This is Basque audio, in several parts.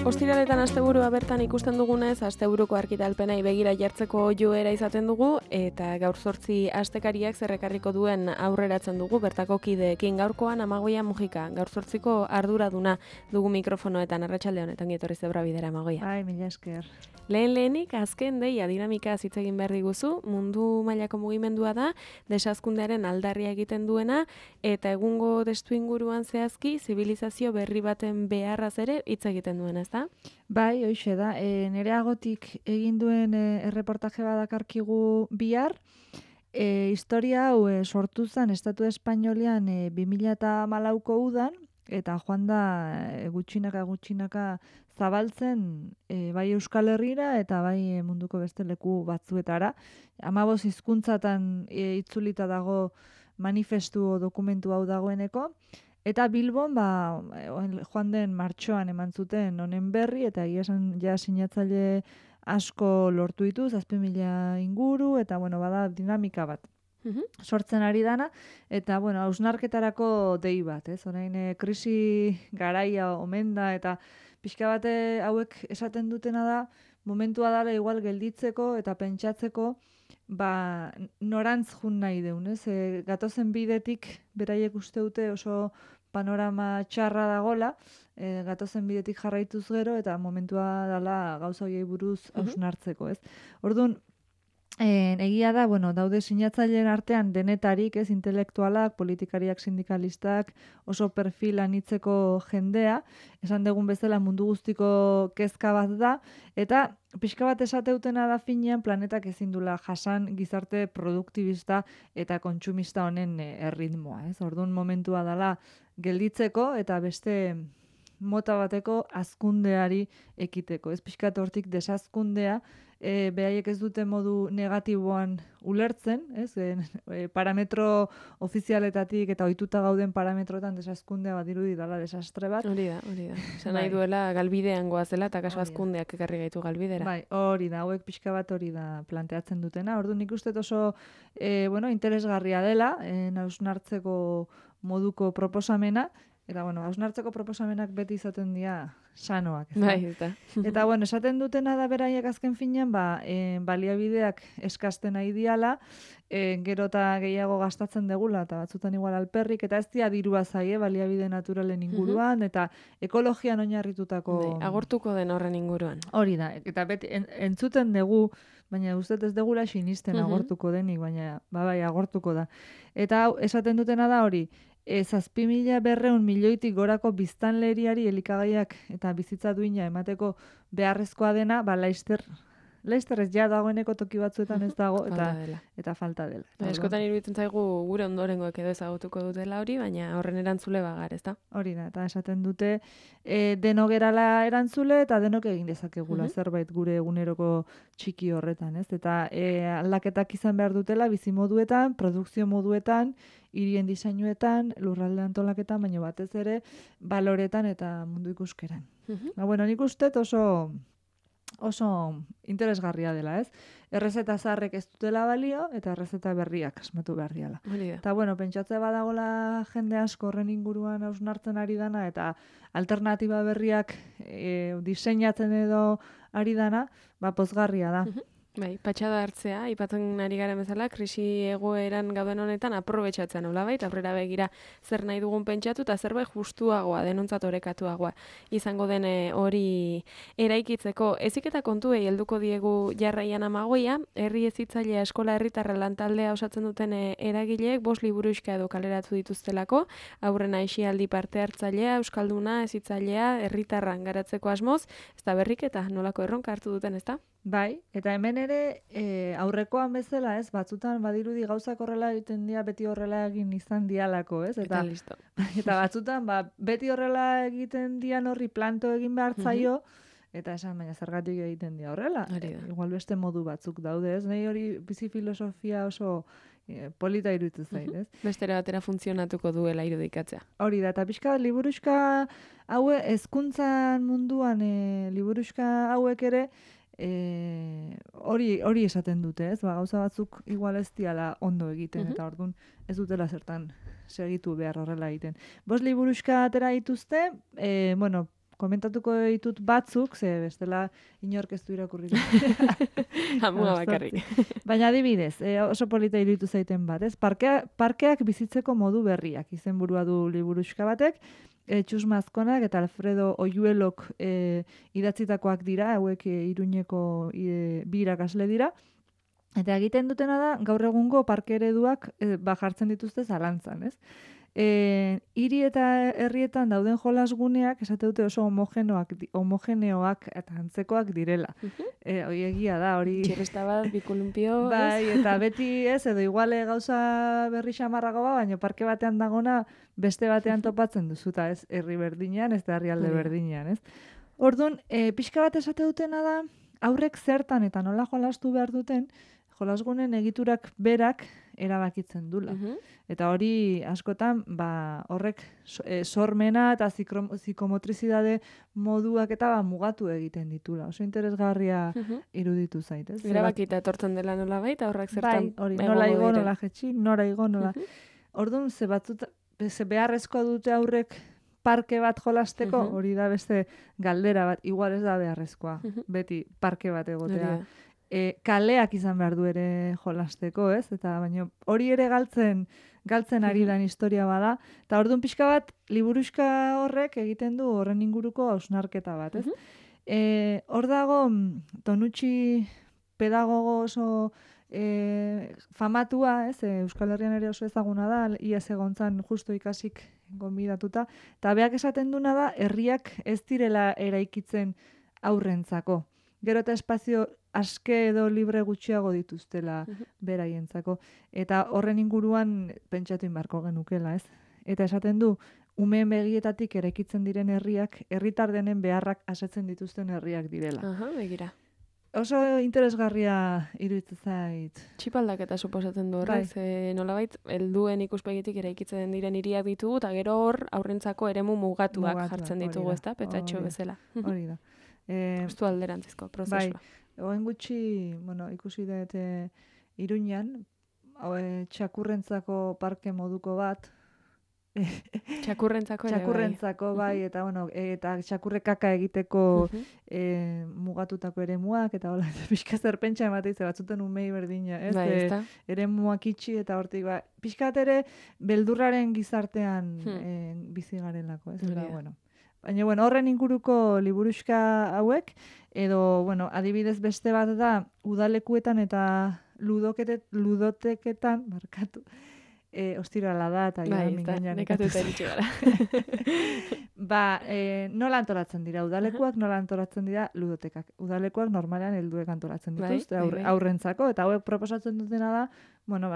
Ostiraletan asteburua bertan ikusten dugunez, asteburuko argitalpenei begira jartzeko joera izaten dugu, eta gaur 8 astekariak zerrekarriko duen aurreratzen dugu bertako kideekin. Gaurkoan Amagoia Mujika, gaur 8ko arduraduna dugu mikrofonoetan. Arratsalde honetan etorri zebra bidera, Amagoia. Bai, mila esker. Lehenik azken deia dinamika hitz egin behar diguzu, mundu mailako mugimendua da, desazkundearen aldarria egiten duena, eta egungo testuinguruan zehazki, zibilizazio berri baten beharraz ere hitz egiten duena, ezta? Bai, hoixe da. Nere agotik egin duen erreportaje badakarkigu bihar, historia hau sortu zen Estatu Espainolian 2014ko udan, eta joan da gutxinaka zabaltzen bai Euskal Herrira eta bai munduko beste leku batzuetara. 15 hizkuntzatan itzulita dago manifestu dokumentu hau dagoeneko. Eta Bilbon, joan den martxoan eman zuten honen berri, eta egia esan ja sinatzaile asko lortu ditu, 7.000 inguru, eta bada dinamika bat. Sortzen ari dana, eta hausnarketarako dei bat, ez? Orain krisi garaia omen da, eta pixka bate hauek esaten dutena da, momentua dela igual gelditzeko eta pentsatzeko, norantz jun nahi deun, ez? Gatozen bidetik beraiek uste dute oso panorama txarra dagola, gatozen bidetik jarraituz gero, eta momentua dela gauza horiei buruz hausnartzeko, ez? Orduan, egia da, daude sinatzaileen artean denetarik, ez, intelektualak, politikariak, sindikalistak, oso perfil anitzeko jendea, esan dugun bezala mundu guztiko kezka bat da, eta pixka bat esateutena da finean planetak ezin dula jasan gizarte produktibista eta kontsumista honen erritmoa, ez? Orduan momentua dela gelditzeko eta beste mota bateko hazkundeari ekiteko. Ez pixkat hortik desazkundea, beraiek ez dute modu negatiboan ulertzen, ez? Parametro ofizialetatik eta ohituta gauden parametroetan desazkundea badirudi dela desastre bat. Hori da. Esan nahi duela galbidean goazela eta kaso hazkundeak ekarri gaitu galbidera. Bai, hori da, hauek pixka bat hori da planteatzen dutena. Orduan nik uste oso interesgarria dela, hausnartzeko moduko proposamena, eta hausnartzeko proposamenak beti izaten dira sanoak. Bai, eta. Eta esaten dutena da beraiek azken finean, baliabideak eskasten nahi diala, gero eta gehiago gastatzen degula, eta batzutan igual alperrik, eta ez dira dirua zaie baliabide naturalen inguruan, eta ekologian oinarritutako... Agortuko den horren inguruan. Hori da, eta beti entzuten dugu, baina uste ez degula sinisten agortuko denik, baina bai, agortuko da. Eta esaten dutena da hori, 7.200 milioitik gorako biztanleriari elikagaiak eta bizitza duina emateko beharrezkoa dena, laizter ez ja dagoeneko toki batzuetan ez dago, eta falta dela. Eskotan iruditzen zaigu gure ondorengoek edo ezagutuko dutela hori, baina horren erantzule bagar, ez da? Hori da, eta esaten dute denok gerala erantzule eta denok egin dezakegula zerbait gure eguneroko txiki horretan, ez? Eta aldaketak izan behar dutela bizimoduetan, produkzio moduetan, hirien diseinuetan, lurralde antolaketan, baina batez ere baloretan eta mundu ikuskeran. Nik uste oso interesgarria dela, ez? Errezeta zaharrek ez dutela balio, eta errezeta berriak asmatu behar diala. Eta pentsatzea badagola jende asko horren inguruan hausnartzen ari dana, eta alternatiba berriak diseinatzen edo ari dana, pozgarria da. Bai, patxada hartzea, aipatzen ari garen bezala, krisi egoeran gauden honetan aprobetxatzen nolabait, aurrera begira zer nahi dugun pentsatu eta zerbait justuagoa, denontzat orekatuagoa izango den hori eraikitzeko. Ezik eta kontuei helduko diegu jarraian Amagoia, herri hezitzailea eskola herritarra lantaldea osatzen duten eragileek 5 liburuxka edo kaleratu dituztelako, aurrena aisialdi parte hartzailea, euskalduna, hezitzailea, herritarran garatzeko asmoz, ez da berriketa nolako erronka hartu duten, ez da? Bai, eta hemen ere aurrekoan bezala, ez, batzutan badirudi gauzak horrela egiten dira, beti horrela egin izan dialako, ez? Eta listo. Eta batzutan, beti horrela egiten dian horri planto egin behar zaio, eta esan, baina zergatik egiten dira horrela. Igual beste modu batzuk daude, ez? Nahi hori bizi filosofia oso polita iruditzen zait, ez? Bestera batera funtzionatuko duela irudikatzea. Hori da, eta pixka liburuxka haue, hezkuntzan munduan liburuxka hauek ere, hori esaten dute, ez? Gauza batzuk igual ez diala ondo egiten, eta orduan ez dutela zertan segitu behar horrela egiten. 5 liburuxka atera dituzte, komentatuko ditut batzuk, ze bestela inork ez du irakurri. Hamua bakarrik. Baina adibidez, oso polita iruditu zaiten bat, ez? Parkeak bizitzeko modu berriak, izenburua du liburuxka batek, Txus Mazkonak eta Alfredo Oyuelok idatzitakoak dira, hauek Iruñeko bi irakasle dira, eta egiten dutena da, gaur egungo parke ereduak jartzen dituzte zalantzan, ez? Hiri eta herrietan dauden jolasguneak esate dute oso homogeneoak eta antzekoak direla. Hori egia da, hori... Txirrista bat, bikolumpio... Bai, eta beti ez, edo iguale gauza berri xamarrago baina parke batean dagona beste batean topatzen duzuta, ez herri berdinean, ez da herrialde berdinean, ez? Orduan, pixka bat esate dutena da, aurrek zertan eta nola jolastu behar duten, jolasgunen egiturak berak erabakitzen dula. Eta hori askotan, horrek sormena eta psikomotrizidade moduak eta mugatu egiten ditula. Oso interesgarria iruditu zait, ez? Erabakita etortzen dela nola baita, horrek zertan... Bai, hori, nola igo, nola jetxi, nora igo, nola... Orduan, ze beharrezkoa dute aurrek parke bat jolasteko, hori da beste galdera bat, igual ez da beharrezkoa, beti parke bat egotea. Kaleak izan behar du ere jolasteko, ez? Eta baina hori ere galtzen ari dan historia bada. Eta orduan pixka bat, liburuxka horrek egiten du horren inguruko hausnarketa bat, ez? Hor dago, Tonucci pedagogo oso famatua, ez? Euskal Herrian ere oso ezaguna da, iaz egontzan justo ikasik gonbidatuta. Eta beak esaten duna da, herriak ez direla eraikitzen aurrentzako. Gero eta espazio aske edo libre gutxiago dituztela beraientzako. Eta horren inguruan pentsatu inbarko genukela, ez? Eta esaten du, umeen begietatik eraikitzen diren herriak, herritar denen beharrak asetzen dituzten herriak direla. Begira. Oso interesgarria iruditzen zait. Txipaldaketa suposatzen du horrek, nolabait, helduen ikuspegitik eraikitzen diren hiriak ditugu, eta gero hor aurrentzako eremu mugatuak jartzen ditugu, ezta? Petatxo bezala. Hori da. Justu alderantzizko prozesua. Bai, oen gutxi, ikusi dut Iruñan, txakurrentzako parke moduko bat. Txakurrentzako bai, eta eta txakurre kaka egiteko mugatutako eremuak, eta hola, pixka zerpentsa ematen ze batzuten umei berdina, ez? Bai, eremuak itxi, eta hortik, pixkat ere beldurraren gizartean bizi garelako, ez? Baina, horren inguruko liburuxka hauek, edo, adibidez beste bat da, udalekuetan eta ludoteketan, markatu, ostirala da, eta nekatu eta eritxe gara. Nola antolatzen dira udalekuak, nola antolatzen dira ludotekak. Udalekuak normalean helduek antolatzen dituzte, aurrentzako, eta hauek proposatzen dutena da,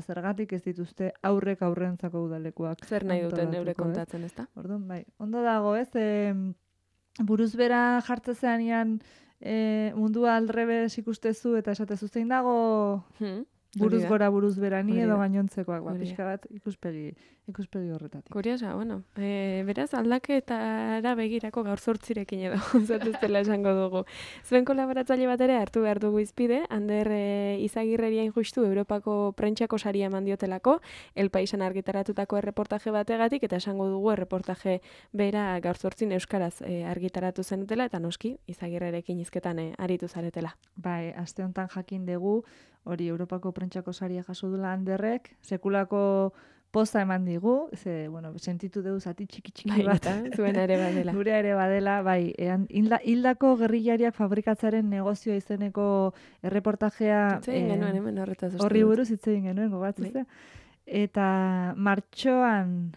zergatik ez dituzte aurrentzako udalekuak. Zer nahi duten eure kontatzen, ezta? Orduan, bai. Ondo dago, ez? Buruzbera jartzezean mundua aldrebes ikustezu eta esatezu zein dago buruz gora buruz berani edo gainontzekoak, pixka bat ikuspegi horretatik. Kuriosa, beraz aldaketara begirako gaur zortzirekin edo, zatuztela esango dugu. Zuen kolaboratzaile bat ere hartu behar dugu izpide, Ander Izagirreriain justu Europako prentxako saria eman diotelako, El Paisan argitaratutako erreportaje bategatik, eta esango dugu erreportaje bera gaur zortzin euskaraz argitaratu zenutela, eta noski Izagirrerekin hizketan aritu zaretela. Bai, aste honetan jakin dugu, hori Europako prentxako saria jaso dula Anderrek, sekulako poza eman digu, sentitu dugu zati txiki bat. Zuena ere badela. Gure ere badela, bai. Hildako gerrillariak fabrikatzaren negozioa izeneko erreportajea horri buruz hitz egin genuen, gogatzen. Eta martxoan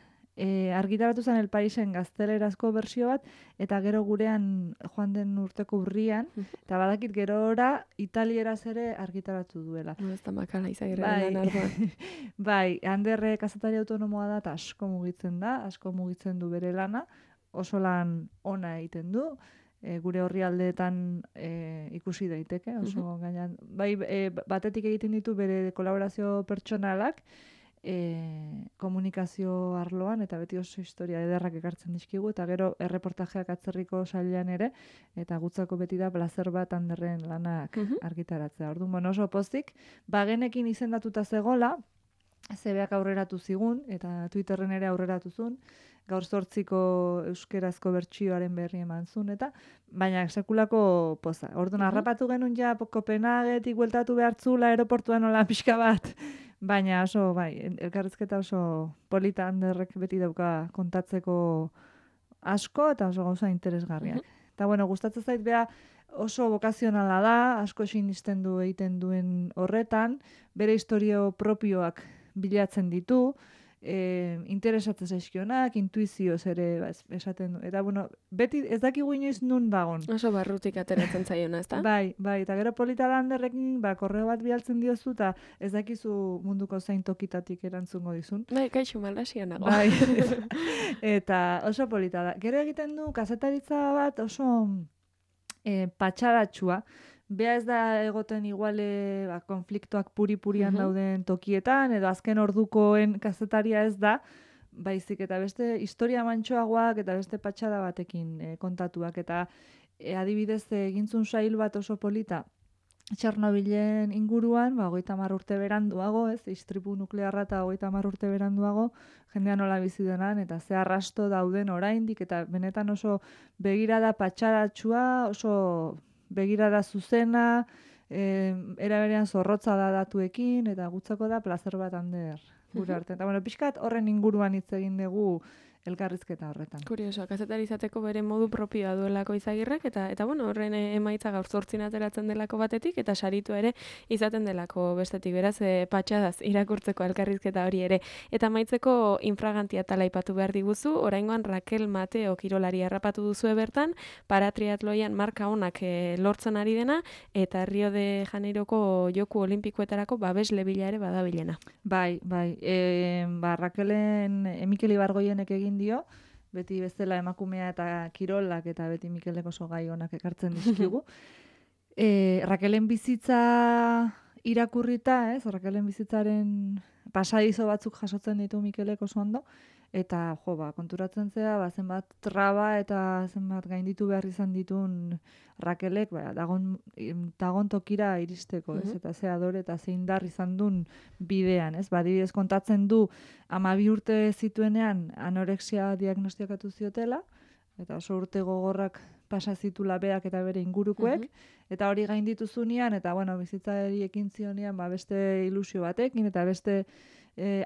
argitaratu zen El Paisen gaztelerazko bersio bat, eta gero gurean joan den urteko urrian, eta badakit gerora italieraz ere argitaratu duela. Ez da makala Izagirreren arduan. Bai, Anderre kazetari autonomoa da, eta asko mugitzen du bere lana, oso lan ona egiten du, gure horri aldeetan ikusi daiteke, oso gainan. Bai, batetik egiten ditu bere kolaborazio pertsonalak, komunikazio arloan, eta beti oso historia ederrak ekartzen dizkigu, eta gero erreportajeak atzerriko sailean ere, eta gutzako beti da plazer bat Anderren lanak argitaratzea. Orduan, oso pozik, bagenekin izendatuta zegola, zebeak aurreratu zigun, eta Twitterren ere aurreratu zuen, gaur 8ko euskerazko bertsioaren berri eman zuen, eta baina sekulako poza. Orduan, harrapatu genuen ja Kopenhagetik bueltatu behartzula aeroportuan nola pixka bat, baina oso, bai, elkarrizketa oso polita Anderrek beti dauka kontatzeko asko eta oso gauza interesgarriak. Eta bueno, gustatzen zait bea oso bokazionala da, asko sinisten du egiten duen horretan, bere historio propioak bilatzen ditu, interesatzen zaizkionak, intuizioz ere esaten du. Eta bueno, beti ez dakigu inoiz nun dagon. Oso barrutik ateratzen zaiona, ezta? Bai, eta gero polita Landerrekin korreo bat bialtzen diozu, eta ez dakizu munduko zein tokitatik erantzungo dizun. Bai, kaixo malasia nago. Bai, eta oso polita da. Gero egiten du kazetaritza bat oso patxadatxua. Bea ez da egoten iguale konfliktoak puri-purian dauden tokietan, edo azken ordukoen kazetaria ez da, baizik eta beste historia mantsoagoak eta beste patxada batekin kontatuak. Eta adibidez egintzun sail bat oso polita, Txernobilen inguruan, 30 urte beranduago, istripu nuklearra eta 30 urte beranduago, jendea nola bizi denan, eta ze arrasto dauden oraindik, eta benetan oso begirada patxadatxua, oso begirada zuzena, era berean zorrotza da datuekin, eta gutzako da plazer bat Ander gure arte. Eta bueno, pixkat horren inguruan hitz egin dugu elkarrizketa horretan. Kurioso, kazetari izateko bere modu propioa duelako Izagirrek, eta bueno, horren emaitza gaur 8 ateratzen delako batetik, eta saritu ere izaten delako bestetik, beraz, patxadaz irakurtzeko elkarrizketa hori ere. Eta amaitzeko infragantia tala aipatu behar diguzu, oraingoan Raquel Mateo kirolari harrapatu duzue bertan, paratriatloian marka onak lortzen ari dena, eta Rio de Janeiroko joku olimpikoetarako babesle bila ere badabilena. Bai, Raquelen Mikel Ibargoienek egin dio, beti bezala emakumea eta kirolak eta beti Mikelek oso gai onak ekartzen dizkigu. Raquelen bizitza irakurrita, Raquelen bizitzaren pasadizo batzuk jasotzen ditu Mikelek oso ondo, eta konturatzen zea, zenbat traba eta zenbat gainditu behar izan ditun Raquelek, dagon tokira iristeko, eta ze adore eta ze indar izan duen bidean, Adibidez kontatzen du 12 urte zituenean anorexia diagnostiakatu ziotela, eta oso urte gogorrak pasa zitula beak eta bere ingurukoek, eta hori gainditu zunean, eta bizitzari ekin zionean beste ilusio batekin, eta beste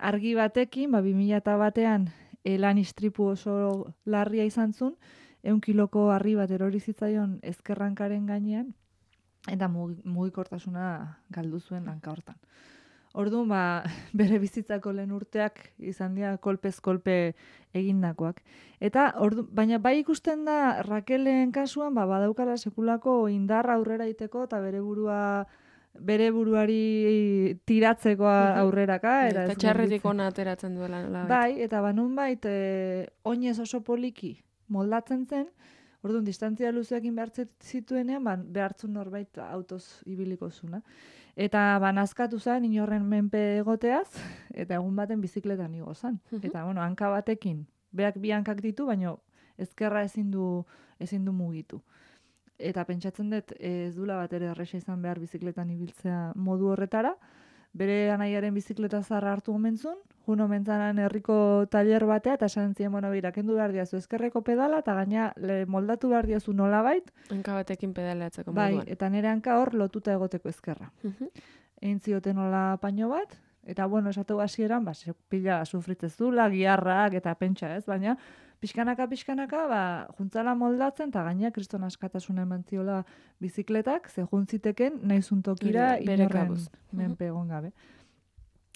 argi batekin, 2001 lan istripu oso larria izan zuen, 100 kiloko harri bat erori zitzaion ezkerrankaren gainean, eta mugikortasuna galdu zuen hanka hortan. Orduan, bere bizitzako lehen urteak izan dira kolpez kolpe egindakoak. Eta, baina bai ikusten da Raquelen kasuan, badaukala sekulako indarra aurrera iteko eta bere buruari tiratzeko aurreraka. Eta txarretik ona ateratzen duela. Bai, eta nonbait oinez oso poliki moldatzen zen, orduan distantzia luzeekin behar zituenean, behartzun norbait autoz ibiliko zuna. Eta nazkatu zen inorren menpe egoteaz, eta egun baten bizikletan igo zen. Eta, hanka batekin, beak bi hankak ditu, baina ezkerra ezin du mugitu. Eta pentsatzen dut ez dula bat ere erresa izan behar bizikletan ibiltzea modu horretara, bere anaiaren bizikleta zarra hartu omentzun, jun omentzanan herriko taller batea, eta esan zien, kendu behar diazu ezkerreko pedala, eta gaina moldatu behar diazu nolabait. Hanka batekin pedaleatzeko moduan. Bai, eta nire hanka hor lotuta egoteko ezkerra. Egin zioten nola paino bat, eta esatu hasieran, pila sufritzezula, giharrak eta pentsa baina pixkanaka, juntzala moldatzen, eta gaina kriston askatasuna eman ziola bizikletak, ze juntziteken nahizun tokira inorren menpe egon gabe.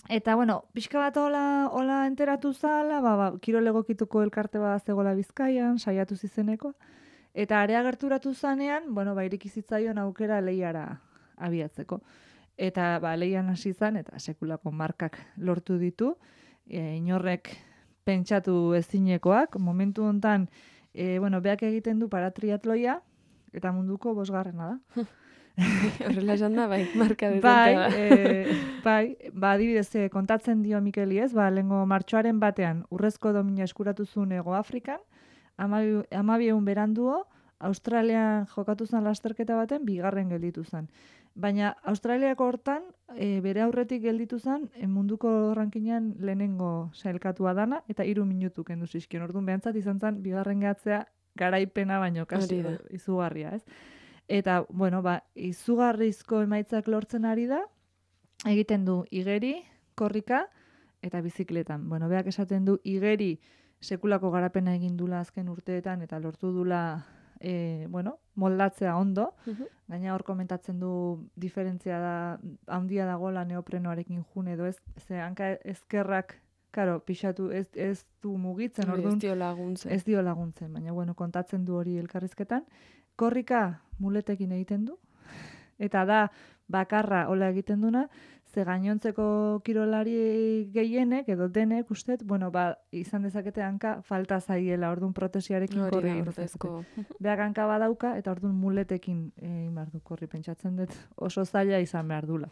Eta, pixka bat hola enteratu zala, kirol egokituko elkarte bat zegoela Bizkaian, saiatu zizeneko, eta area gerturatu zanean, ireki zitzaion aukera lehiara abiatzeko. Eta, lehian hasi zan, eta sekulako markak lortu ditu, inorrek pentsatu ezinekoak, momentu hontan, beak egiten du paratriatloia, eta munduko 5. da. Horrela esan da, marka dezente da. Bai, adibidez, kontatzen dio Mikeli lehengo martxoaren batean, urrezko domina eskuratu zuen Hego Afrikan, 12 beranduo, Australian jokatu zen lasterketa baten, 2. gelditu zen. Baina Australiako hortan, bere aurretik gelditu zen, munduko rankinean lehenengo sailkatua dana, eta 3 minutu kendu zizkion. Orduan behantzat izan zen, bigarren gehatzea garaipena baino, kasi izugarria, ez? Eta, bueno, izugarrizko emaitzak lortzen ari da, egiten du igeri, korrika, eta bizikletan. Bueno, beak esaten du igeri sekulako garapena egin dula azken urteetan, eta lortu dula moldatzea ondo, gaina hor komentatzen du diferentzia da, handia dagoela neoprenoarekin jun edo ez, ze hanka ezkerrak, karo, pixatu ez du mugitzen, orduan. Ez dio laguntzen, baina bueno, kontatzen du hori elkarrizketan. Korrika muletekin egiten du, eta da bakarra hola egiten duna, ze gainontzeko kirolari gehienek edo denek ustet, bueno, izan dezakete hanka falta zaiela, orduan protesiarekin korri egin dezakete. Beak hanka badauka eta orduan muletekin egin behar du korri, pentsatzen dut oso zaila izan behar dula.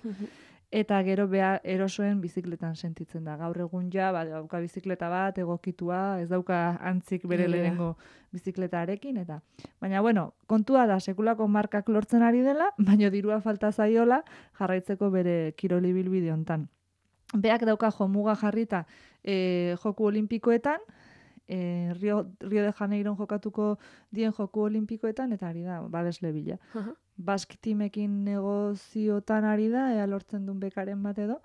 Eta gero bea erosoen bizikletan sentitzen da. Gaur egun ja, dauka bizikleta bat, egokitua, ez dauka antzik bere lehenengo bizikletarekin, eta. Baina, bueno, kontua da, sekulako markak lortzen ari dela, baina dirua falta zaiola jarraitzeko bere kiroli bilbide hontan. Beak dauka jomuga jarrita joku olimpikoetan, Rio de Janeiron jokatuko dien joku olimpikoetan, eta ari da, babesle bila. Basque Teamekin negoziotan ari da, ea lortzen duen bekaren bat edo,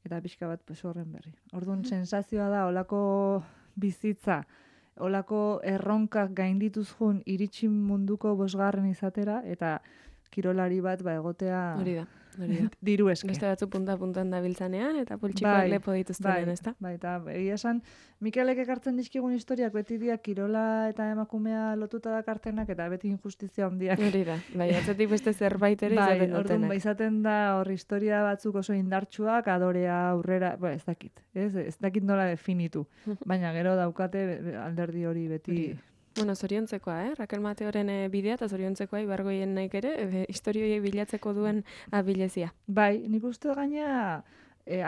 eta pixka bat horren berri. Orduan, sensazioa da, olako bizitza, olako erronkak gaindituz jun, iritsi munduko 5. izatera, eta kirolari bat egotea diru eske. Beste batzu punta-puntan dabiltzanean, eta pultsikoak lepo dituztenean, ezta? Bai, eta egia esan, Mikelek ekartzen dizkigun historiak beti dira kirola eta emakumea lotuta dakartenak, eta beti injustizia handiak. Hori da, bai, atzetik beste zerbait ere izaten dutenak. Orduan, izaten da hor historia batzuk oso indartsuak, adorea aurrera, ez dakit, ez dakit nola definitu, baina gero daukate alderdi hori beti. Bueno, zoriontzekoa, Raquel Mateoren bidea, eta zoriontzekoa ibargoien naik ere, historioiei bilatzeko duen abilezia. Bai, nik uste gaina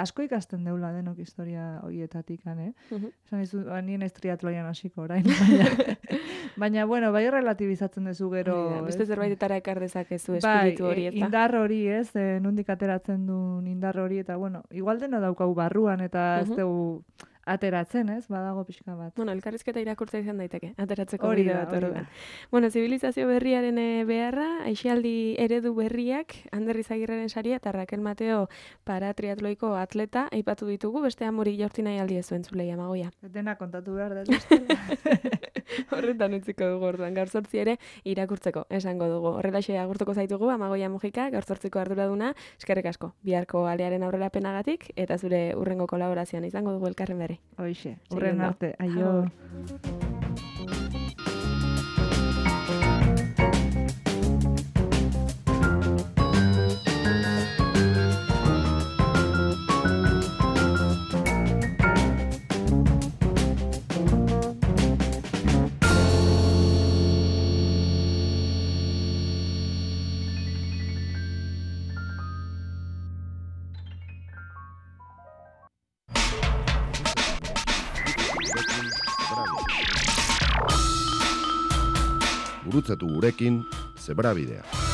asko ikasten deula denok historia horietatik, Esan izu, nien ez triatloian hasiko orain, baina, bueno, bai relatibizatzen duzu gero. Beste zerbaitetara ekar dezakezu espiritu hori, eta. Indar hori, nondik ateratzen duen indar hori, eta, bueno, igual dena daukau barruan, eta ez dugu ateratzen, badago pixka bat. Bueno, elkarrizketa irakurtza izan daiteke, ateratzeko bide bat horretan. Bueno, zibilizazio berriaren beharra, aisialdi eredu berriak, Ander Izagirreren saria eta Raquel Mateo paratriatloiko atleta aipatu ditugu, beste amori jaurti nahi aldi ezuen zulei Amagoia. Dena kontatu behar da. Horretan utziko dugu orduan, gaur 8 ere irakurtzeko, esango dugu. Horrelaxe agurtuko zaitugu, Amagoia Mujika, gaur 8ko arduraduna, eskerrik asko, biharko alearen aurrerapenagatik, eta zure urrengo kolaborazioan izango dugu elkarren berri. Hoixe, urren arte, aio. Gurutzatu gurekin Zebrabidea.